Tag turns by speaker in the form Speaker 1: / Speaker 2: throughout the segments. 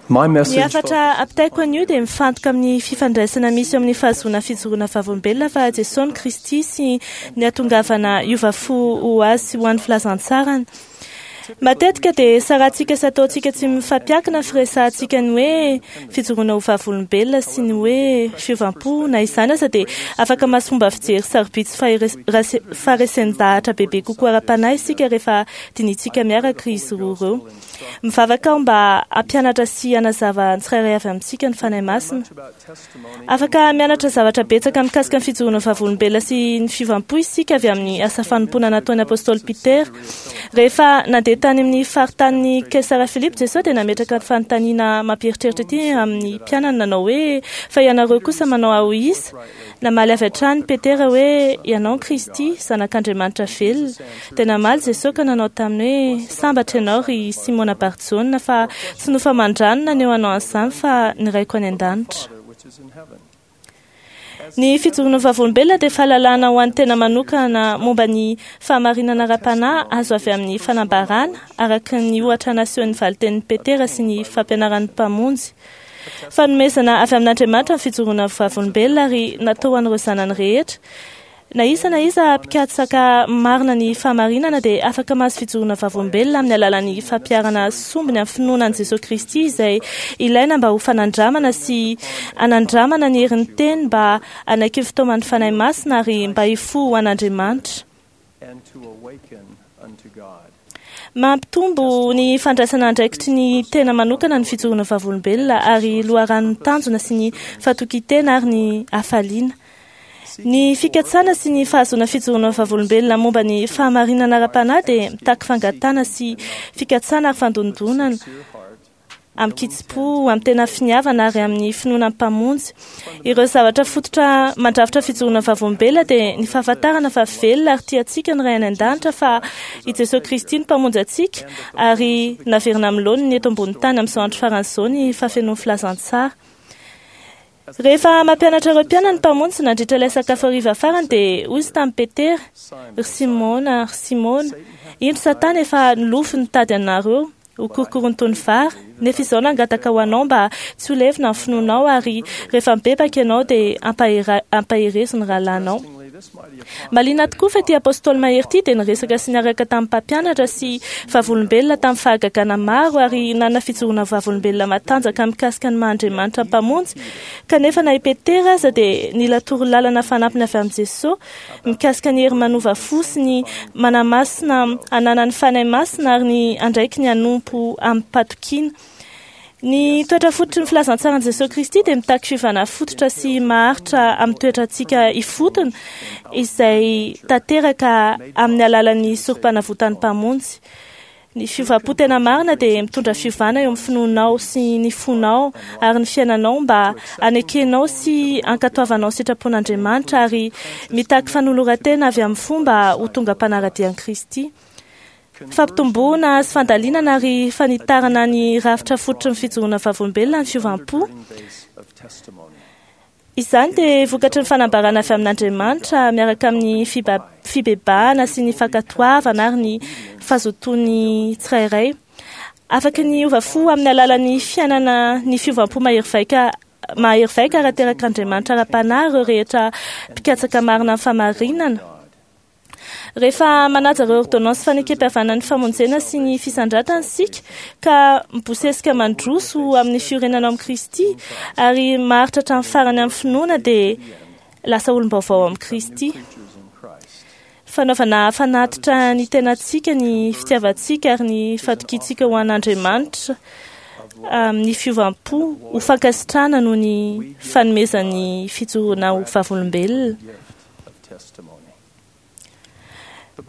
Speaker 1: My
Speaker 2: Ny
Speaker 1: message
Speaker 2: hafatra ampitaiko anio dia mifantoka amin'ny fifandraisana misy eo amin'ny fahazoana fijoroana vavolombelona fa Jesosy ny Kristy sy ny hatongavana hiova fo ho azy sy ho an'ny filazantsarany. Matetika dia sarantsika sy ataontsika tsy mifampiankina ny firesahantsika ny hoe fijoroana ho vavolombelona sy ny hoe fiovam-po. Na izany aza dia afaka mahazo fomba fijery sarobidy sy faharesen-dahatra bebe kokoa ara-panahy isika rehefa dinihintsika miaraka izy roa ireo. Mivavaka aho mba hampianatra sy hanazava ny tsirairay avy amintsika ny Fanahy Masina. Afaka mianatra zavatra betsaka mikasika ny fijoroana vavolombelona sy ny fiovam-po isika avy amin'ny asa fanompoana nataon'ny apostoly Petera. Rehefa nandeha tany amin'ny faritanin'i Kaisara Filipo Jesosy dia nametraka ny fanontaniana mampieritreritra ity amin'ny mpianany nanao hoe, Fa ianareo kosa manao ahy ho iza? Namaly avy hatrany Petera hoe, Ianao ny Kristy, Zanak'Andriamanitra velona. Dia namaly Jesosy ka nanao taminy hoe, Sambatra ianao, ry Simona Barjona, fa tsy nofo aman-drano naneho anao an'izany, fa ny Raiko any an-danitra. Ny fijoroana ho vavolombelona dia fahalalana ho an'ny tena manokana momba ny fahamarinana ara-panahy azo avy amin'ny fanambarana, araka ny ohatra nasehon'ny valin-tenin'i Petera sy ny fampianaran'ny Mpamonjy. Fanomezana avy amin'Andriamanitra ny fijoroana ho vavolombelona ary natao ho an'ireo zanany rehetra. Na iza na iza mpikatsaka marina ny fahamarinana dia afaka mahazo fijoroana vavolombelona amin'ny alalan'ny fampiharana sombiny amin'ny finoana an'i Jesoa Kristy izay ilaina mba ho fanandramana sy hanandramana ny herin'ny teny mba hanaiky ny fitaoman'ny Fanahy Masina ary mba hifoha ho an'Andriamanitra. Mampitombo ny fandraisana andraikitry ny tena manokana ny fijoroana vavolombelona ary loharanon'ny tanjona sy ny fatokian-tena ary ny hafaliana. Ny fikatsana sy ny fahazoana fijoroana vavolombelona momba ny fahamarinana ara-panahy dia mitaky fangatahana sy fikatsana ary fandondonana amin-kitsim-po, amin'ny tena finiavana ary amin'ny finoana ny Mpamonjy. Ireo zavatra fototra mandrafitra fijoroana vavolombelona dia ny fahafantarana fa velona ary tia antsika ny Ray any An-danitra, fa i Jesoa Kristy no Mpamonjy antsika ary naverina amin'ny laoniny eto ambonin'ny tany amin'izao andro farany izao ny fahafenoan'ny filazantsara. Rehefa mampianatra ireo mpianany ny Mpamonjy nandritra ilay sakafo hariva farany dia hoy Izy tamin'i Petera, Ry Simona, ry Simona, indro Satana efa nilofo nitady anareo ho korokorony toy ny vary, nefa izaho nangataka ho anao mba tsy ho levona ny finoanao, ary rehefa mibebaka ianao dia ampaherezo ny rahalahinao. Mahaliana tokoa fa ity Apostoly mahery ity dia niresaka sy niaraka tamin'ny mpampianatra sy vavolombelona tamin'ny fahagagana maro ary nanana fijoroana vavolombelona matanjaka mikasika ny maha Andriamanitra Mpamonjy. Kanefa na i Petera aza dia nila torolalana fanampiny avy amin'i Jesoa mikasika ny hery manova fo sy ny manamasina ananan'ny Fanahy Masina ary ny andraikiny hanompo amim-patokiana. Ny toetra fototry ny filazantsaran'i Jesoa Kristy dia mitaky fiovana fototra sy maharitra amin'ny toetrantsika ifotony izay tanteraka amin'ny alalan'ny sorompanavotan'ny Mpamonjy. Ny fiovam-po tena marina dia mitondra fiovana eo amin'ny finoanao sy ny fonao ary ny fiainanao mba hanekenao sy hankatoavanao ny sitrapon'Andriamanitra ary mitaky fanoloran-tena avy amin'ny fo mba ho tonga mpanara-dia an'i Kristy. Fampitomboana sy fandalinana ary fanitarana ny rafitra fototry ny fijoroana vavolombelona ny fiovam-po. Izany dia vokatry ny fanambarana avy amin'Andriamanitra miaraka amin'ny fibebahana sy ny fankatoavana ary ny fazotoan'ny tsirairay. Afaka ny hiova fo amin'ny alalan'ny fiainana ny fiovam-po mahery vaika mahery vaika ary aterak'Andriamanitra ara-panahy ireo rehetra mpikatsaka marina ny fahamarinana. Rehefa manaja ireo ôrdônansy fanekempihavanan'ny famonjena sy ny fisandratana isika, ka mibosesika mandroso amin'ny fiorenana ao amin'i Kristy ary maharitra hatramin'ny farany amin'ny finoana, dia lasa olom-baovao ao amin'i Kristy. Fanaovana fanatitra ny tenantsika, ny fitiavantsika ary ny fatokiantsika ho an'Andriamanitra amin'ny fiovam-po ho fankasitrahana noho ny fanomezany fijoroana ho vavolombelona.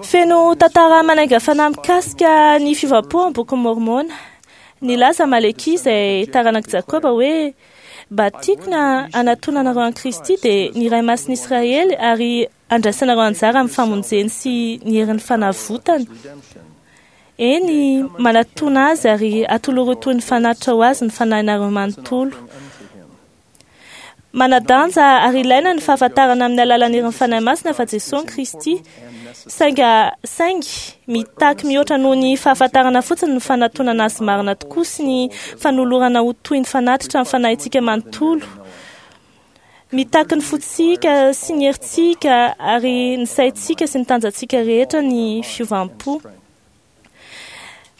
Speaker 2: Feno tantara manainga fanahy mikasika ny fiovam-po ao amin'ny Bokin'i Môrmôna. Nilaza Amalekia izay taranak'i Jakoba hoe, Mba tiako ny hanatonanareo an'i Kristy, dia ny Iray Masin'i Israely, ary handraisanareo anjara amin'ny famonjeny sy ny herin'ny fanavotany. Eny, manatòna Azy ary atolory ho toy ny fanatitra ho Azy ny fanahinareo manontolo. Manadanja ary ilaina ny fahafantarana amin'ny alalan'ny herin'ny Fanahy Masina fa Jesosy Kristy. Saingy mitaky mihoatra noho ny fahafantarana fotsiny ny fanatonana azy marina tokoa sy ny fanolorana ho toy ny fanatitra ny fanahintsika manontolo. Mitaky ny fontsika sy ny herintsika ary ny saintsika sy ny tanjantsika rehetra ny fiovam-po.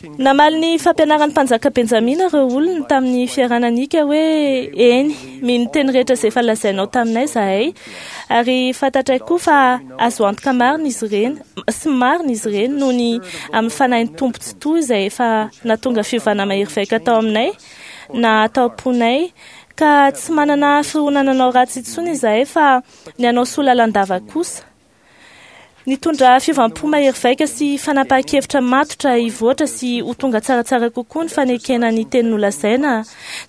Speaker 2: Namaly ny fampianaran'ny mpanjaka Benjamina ireo olony tamin'ny fiaraha-nanika hoe, Eny, mino ny teny rehetra izay efa lazainao taminay izahay, ary fantatray koa fa azo antoka marina izy ireny, sy marina izy ireny noho ny amin'ny Fanahin'ny Tompo Tsitoha izay efa nahatonga fiovana mahery vaika tao aminay na tao am-ponay, ka tsy manana fironana hanao ratsy intsony izahay fa ny hanao soa lalandava kosa. Nitondra fiovam-po mahery vaika sy fanapahan-kevitra matotra hivoatra sy ho tonga tsaratsara kokoa ny fanekena ny teny nolazaina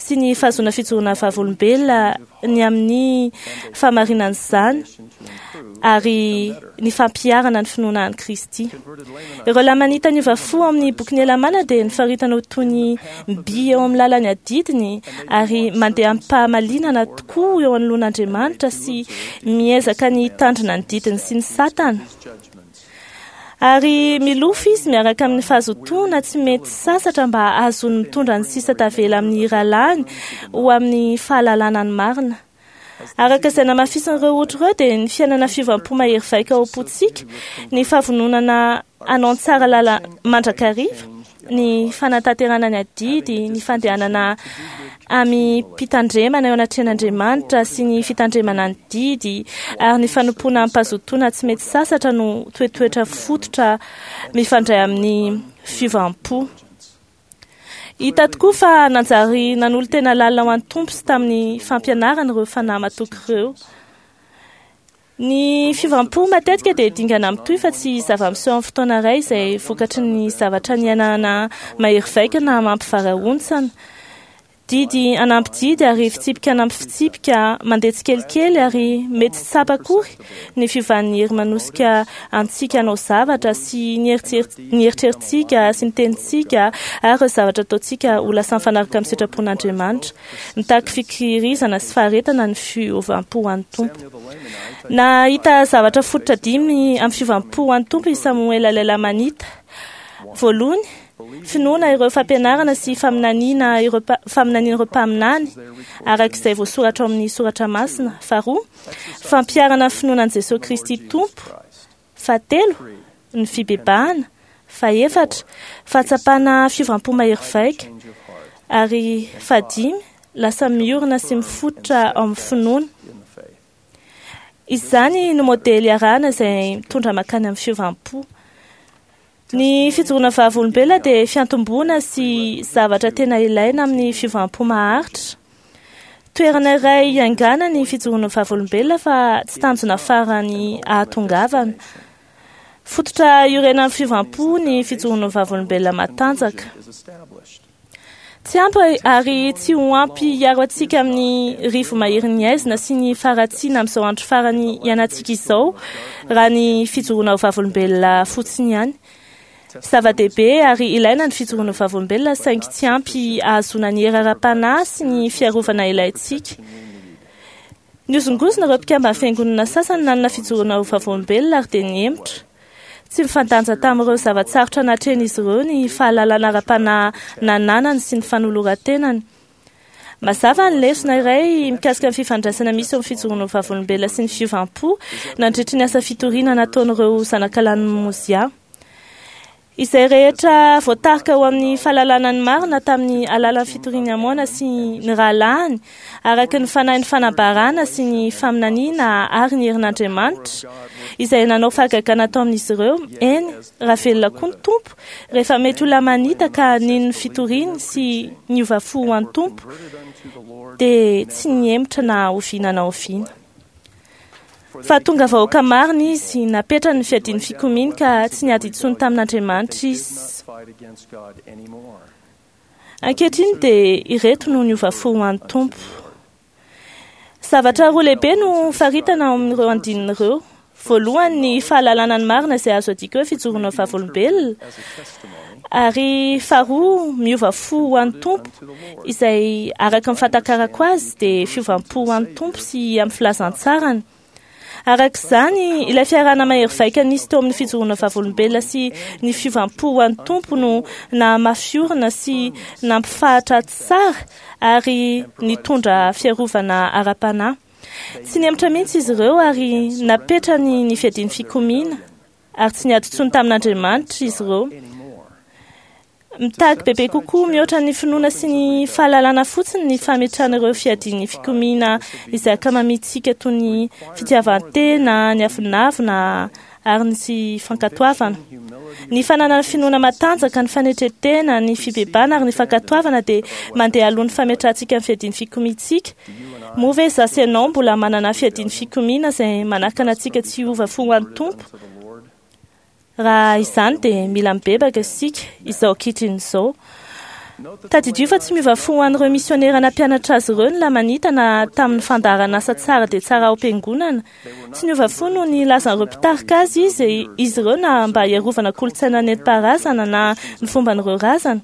Speaker 2: sy ny fahazoana fijoroana vavolombelona ny amin'ny fahamarinan'izany ary ny fampiharana ny finoana an'i Kristy. Ireo Lamanita niova fo ao amin'ny bokin'i Helamàna dia nofaritana ho toy ny mby eo amin'ny lalan'ny adidiny ary mandeha amim-pahamalinana tokoa eo anoloan'Andriamanitra sy miezaka ny hitandrina ny didiny sy ny satana. Ary milofo izy miaraka amin'ny fahazotoana tsy mety sasatra mba hahazoany mitondra ny sisa tavela amin'ny rahalahiny ho amin'ny fahalalana ny marina. Araka izay namafisin'ireo ohatra ireo dia ny fiainana fiovam-po mahery vaika ao am-pontsika, ny fahavononana hanao ny tsara lala mandrakariva, ny fanatanterahana ny adidy, ny fandehanana amim-pitandremana eo anatrehan'Andriamanitra sy ny fitandremana ny didy ary ny fanompoana amim-pahazotoana tsy mety sasatra no toetoetra fototra mifandray amin'ny fiovam-po. Hita tokoa fa nanjary nanolo-tena lalina ho an'ny Tompo sy tamin'ny fampianarany ireo fanahy matoky ireo. Ny fiovam-po matetika dia dingana mitohy fa tsy zava-miseho amin'ny fotoana iray izay vokatry ny zavatra niainana mahery vaika na mampivarahontsana. Didy hanampy didy ary fitsipika hanampy fitsipika, mandeha tsikelikely ary mety tsy tsapa akory ny fiovan'ny hery manosika antsika hanao zavatra sy ny eritreritsika sy ny tenintsika ary ireo zavatra ataontsika ho lasa mifanaraka amin'ny sitrapon'Andriamanitra. Mitaky fikirizana sy faharetana ny fiovam-po ho an'ny Tompo. Nahita zavatra fototra dimy amin'ny fiovam-po ho an'ny Tompo i Samoela ilay Lamanita. Voalohany, finoana ireo fampianarana sy faminaniana ireo faminanian'ireo mpaminany araka izay voasoratra ao amin'ny soratra masina. Faharoa, fampiharana ny finoana an'i Jesosy Kristy Tompo. Fahatelo, ny fibebahana. Fahefatra, fahatsapana fiovam-po mahery vaika. Ary fahadimy, lasa miorina sy mifototra ao amin'ny finoana. Izany no modely arahana izay mitondra mankany amin'ny fiovam-po. Ny fijoroana vavolombelona dia fiantomboana sy zavatra tena ilaina amin'ny fiovam-po maharitra. Toerana iray hiaingàna ny fijoroana vavolombelona fa tsy tanjona farany ahatongavana. Fototra iorenan'ny fiovam-po ny fijoroana vavolombelona matanjaka. Tsy ampy ary tsy ho ampy hiaro antsika amin'ny rivo-maherin'ny haizina sy ny faharatsiana amin'izao andro farany iainantsika izao raha ny fijoroana ho vavolombelona fotsiny ihany. Zava-dehibe ary ilaina ny fijoroana ho vavolombelona saingy tsy ampy hahazoana ny hery ara-panahy sy ny fiarovana ilaintsika. Nihozongozona ireo mpikamban'ny fiangonana sasany nanana fijoroana ho vavolombelona ary dia nihemotra. Tsy mifandanja tamin'ireo zava-tsarotra natrehin'izy ireo ny fahalalana ara-panahy nananany sy ny fanoloran-tenany. Mazava ny lesona iray mikasika ny fifandraisana misy eo amin'ny fijoroana ho vavolombelona sy ny fiovam-po nandritry ny asa fitoriana nataon'ireo zanakalahin'i Mozia. Izay rehetra voatarika ho amin'ny fahalalana ny marina tamin'ny alalan'ny fitorian'i Amôna sy ny rahalahiny, araka ny fanahin'ny fanambarana sy ny faminaniana ary ny herin'Andriamanitra, izay nanao fahagagana tao amin'izy ireo, eny, raha velona koa ny Tompo, rehefa mety ho Lamanita ka nino ny fitoriany sy niova fo ho an'ny Tompo, dia tsy nihemotra na oviana na oviana. Fa tonga vahoaka marina izy, napetrany ny fiadian'ny fikomiany ka tsy niady intsony tamin'Andriamanitra izy. Ankehitriny dia ireto no niova fo ho an'ny Tompo. Zavatra roa lehibe no faritana ao amin'ireo andininy ireo. Voalohany, ny fahalalana ny marina izay azo adika hoe fijoroana vavolombelona, ary faharoa, miova fo ho an'ny Tompo, izay araka ny fahatakarako azy dia fiovam-po ho an'ny Tompo sy amin'ny filazantsarany. Araka izany, ilay fiarahana mahery vaika nisy teo amin'ny fijoroana vavolombelona sy ny fiovam-po ho an'ny Tompo no nahamafy orina sy nampifahatra tsara ary nitondra fiarovana ara-panahy. Tsy nihemotra mihitsy izy ireo ary napetrany ny fiadian'ny fikomiana ary tsy niady intsony tamin'Andriamanitra izy ireo. Mitaky bebe kokoa mihoatra ny finoana sy ny fahalalana fotsiny ny fametrahana ireo fiadian'ny fikomiana izay ankamamintsika toy ny fitiavan-tena, ny avonavona ary ny tsy fankatoavana. Ny fananana finoana matanjaka, ny fanetren-tena, ny fibebahana ary ny fankatoavana dia mandeha alohan'ny fametrahantsika ny fiadian'ny fikomiantsika. Moa ve izaho sy ianao mbola manana fiadian'ny fikomiana izay manakana antsika tsy hiova fo ho an'ny Tompo? Raha izany dia mila mibebaka isika izao ankehitriny izao. Tadidio fa tsy miova fo ho an'ireo misionera nampianatra azy ireo ny Lamanita na tamin'ny fandaharan'asa tsara dia tsara ao am-piangonana. Tsy niova fo noho ny lazan'ireo mpitarika azy izy izy ireo na mba hiarovana kolontsaina nentim-paharazana na ny fomban'ireo razana.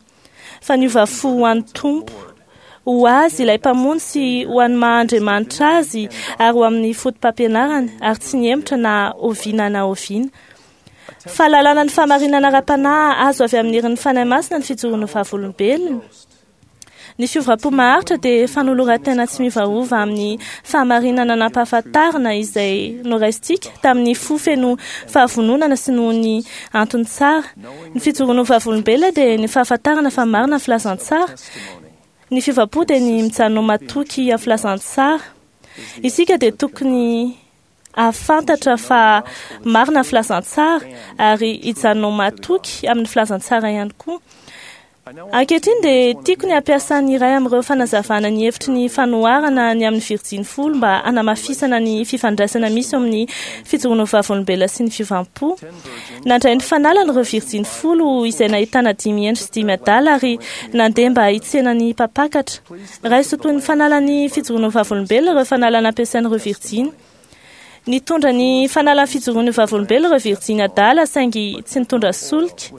Speaker 2: Fa niova fo ho an'ny Tompo, ho Azy ilay Mpamonjy sy ho an'ny maha Andriamanitra Azy ary ho amin'ny fotopampianarany, ary tsy nihemotra na oviana na oviana. Fahalalana ny fahamarinana ara-panahy azo avy amin'ny herin'ny Fanahy Masina ny fijoroan'ny vavolombelona. Ny fiovam-po maharitra dia fanoloran-tena tsy miovaova amin'ny fahamarinana nampahafantarina izay noraisintsika tamin'ny fo feno fahavononana sy noho ny antony tsara. Ny fijoroana ho vavolombelona dia ny fahafantarana fa marina ny filazantsara. Ny fiovam-po dia ny mijanona ho matoky amin'ny filazantsara. Isika dia tokony hahafantatra fa marina ny filazantsara ary hijanona ho matoky amin'ny filazantsara ihany koa. Ankehitriny dia tiako ny hampiasa ny iray amin'ireo fanazavana ny hevitry ny fanoharana ny amin'ny virjiny folo mba hanamafisana ny fifandraisana misy eo amin'ny fijoroana ho vavolombelona sy ny fiovam-po. Nandray ny fanalany ireo virjiny folo izay nahitana dimy hendry sy dimy adala ary nandeha mba hitsena ny mpampakatra. Raiso toy ny fanalan'ny fijoroana ho vavolombelona ireo fanalana ampiasain'ireo virjiny. Nitondra ny fanalan'ny fijoroana ho vavolombelona ireo virjiny adala saingy tsy nitondra solika.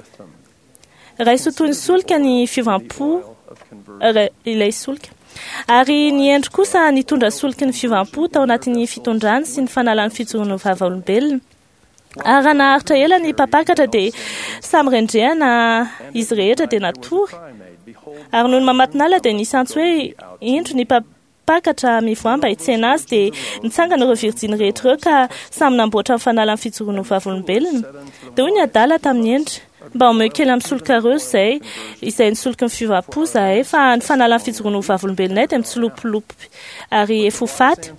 Speaker 2: Raiso toy ny solika ny fiovam-po, ilay solika. Ary ny hendry kosa nitondra soliky ny fiovam-po tao anatin'ny fitondrany sy ny fanalan'ny fijoroana ho vavolombelona. Ary raha naharitra ela ny mpampakatra dia samy rendrehana izy rehetra dia natory. Ary nony mamatonalina dia nisy antso hoe, Indro ny mpampakatra mivoaha mba hitsena azy. Dia nitsangana ireo virjiny rehetra ireo ka samy namboatra ny fanalan'ny fijoroana ho vavolombelona. Dia hoy ny adala tamin'ny hendry, Mba omeo kely amin'ny solikareo izay, izay ny soliky ny fiovam-po izahay, fa ny fanalan'ny fijoroana ho vavolombelonay dia mitsilopilopy ary efa ho faty.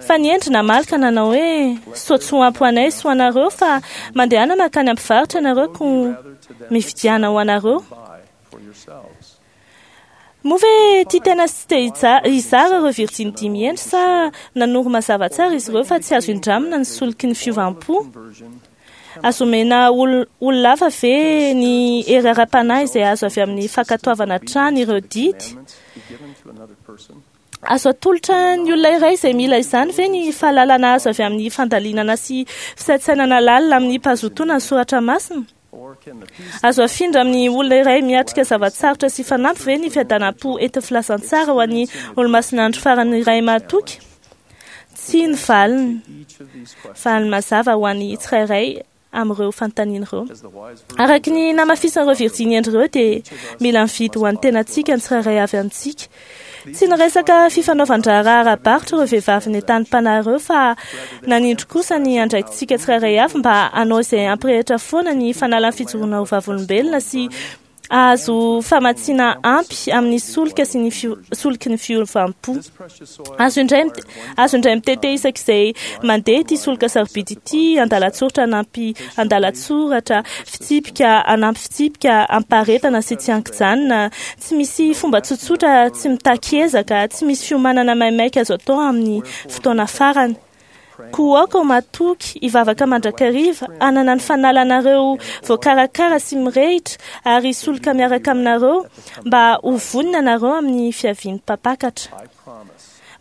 Speaker 2: Fa ny hendry namaly ka nanao hoe, Soa tsy ho ampy ho anay sy ho anareo, fa mandehana mankany amin'ny mpivarotra ianareo, koa mividiana ho anareo. Moa ve tia tena sy te hizara ireo virjiny dimy hendry sa nanoro mazava tsara izy ireo fa tsy azo indramina ny soliky ny fiovam-po? Azo omena olona hafa ve ny hery ara-panahy izay azo avy amin'ny fankatoavana hatrany ireo didy? Azo atolotra ny olona iray izay mila izany ve ny fahalalana azo avy amin'ny fandalinana sy fisaintsainana lalina amin'ny mpazotoana ny soratra masina? Azo afindra amin'ny olona iray miatrika zava-tsarotra sy fanampy ve ny fiadanam-po entin'ny filazantsara ho an'ny Olomasina Andro Farany iray mahatoky? Tsia ny valiny. Valiny mazava ho an'ny tsirairay amin'ireo fanontaniana ireo. Araka ny namafisan'ireo virjiny hendry ireo dia mila mividy ho an'ny tenantsika ny tsirairay avy amintsika. Tsy niresaka fifanaovan-draharaha ara-barotra ireo vehivavy nentanim-panahy ireo fa nanindry kosa ny andraikitsika tsirairay avy mba hanao izay hampirehitra foana ny fanalan'ny fijoroana ho vavolombelona sy hahazo famatsiana ampy amin'ny solika sy ny soliky ny fiovam-po. Azo indray azo indray mitete isak'izay mandeha ity solika sarobidy ity andalan-tsoratra anampy andalan-tsoratra, fitsipika anampy fitsipika, ampaharetana sy tsy ankijanona. Tsy misy fomba tsotsotra tsy mitaky ezaka, tsy misy fiomanana maimaika azo atao amin'ny fotoana farany. Koa aoka ho matoky, hivavaka mandrakariva, hanana ny fanalanareo voakarakara sy mirehitra ary hisoloka miaraka aminareo mba ho vonona ianareo amin'ny fiavian'ny Mpampakatra.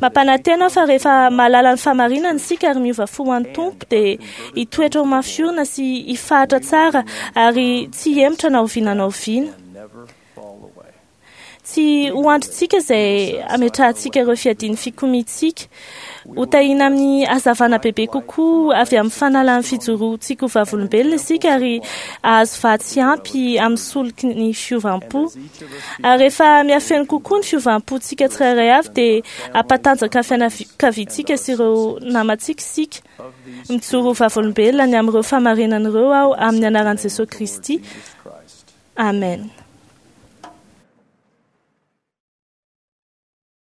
Speaker 2: Mampanantena aho fa rehefa mahalala ny fahamarinana isika ary miova fo ho an'ny Tompo dia hitoetra ho mafy orina sy hifahatra tsara ary tsy hihemotra na oviana na oviana. Tsy ho andrintsika izay hametrahantsika ireo fiadian'ny fikomiantsika. Ho tahiana amin'ny hazavana bebe kokoa avy amin'ny fanalan'ny fijoroantsika ho vavolombelona isika ary hahazo vatsy ampy amin'ny soliky ny fiovam-po. Ary rehefa mihafeno kokoa ny fiovam-pontsika tsirairay avy dia hampatanjaka ny fianakaviantsika sy ireo namantsika isika. Mijoro ho vavolombelona ny amin'ireo fahamarinana ireo aho amin'ny anaran'i Jesosy Kristy. Amen.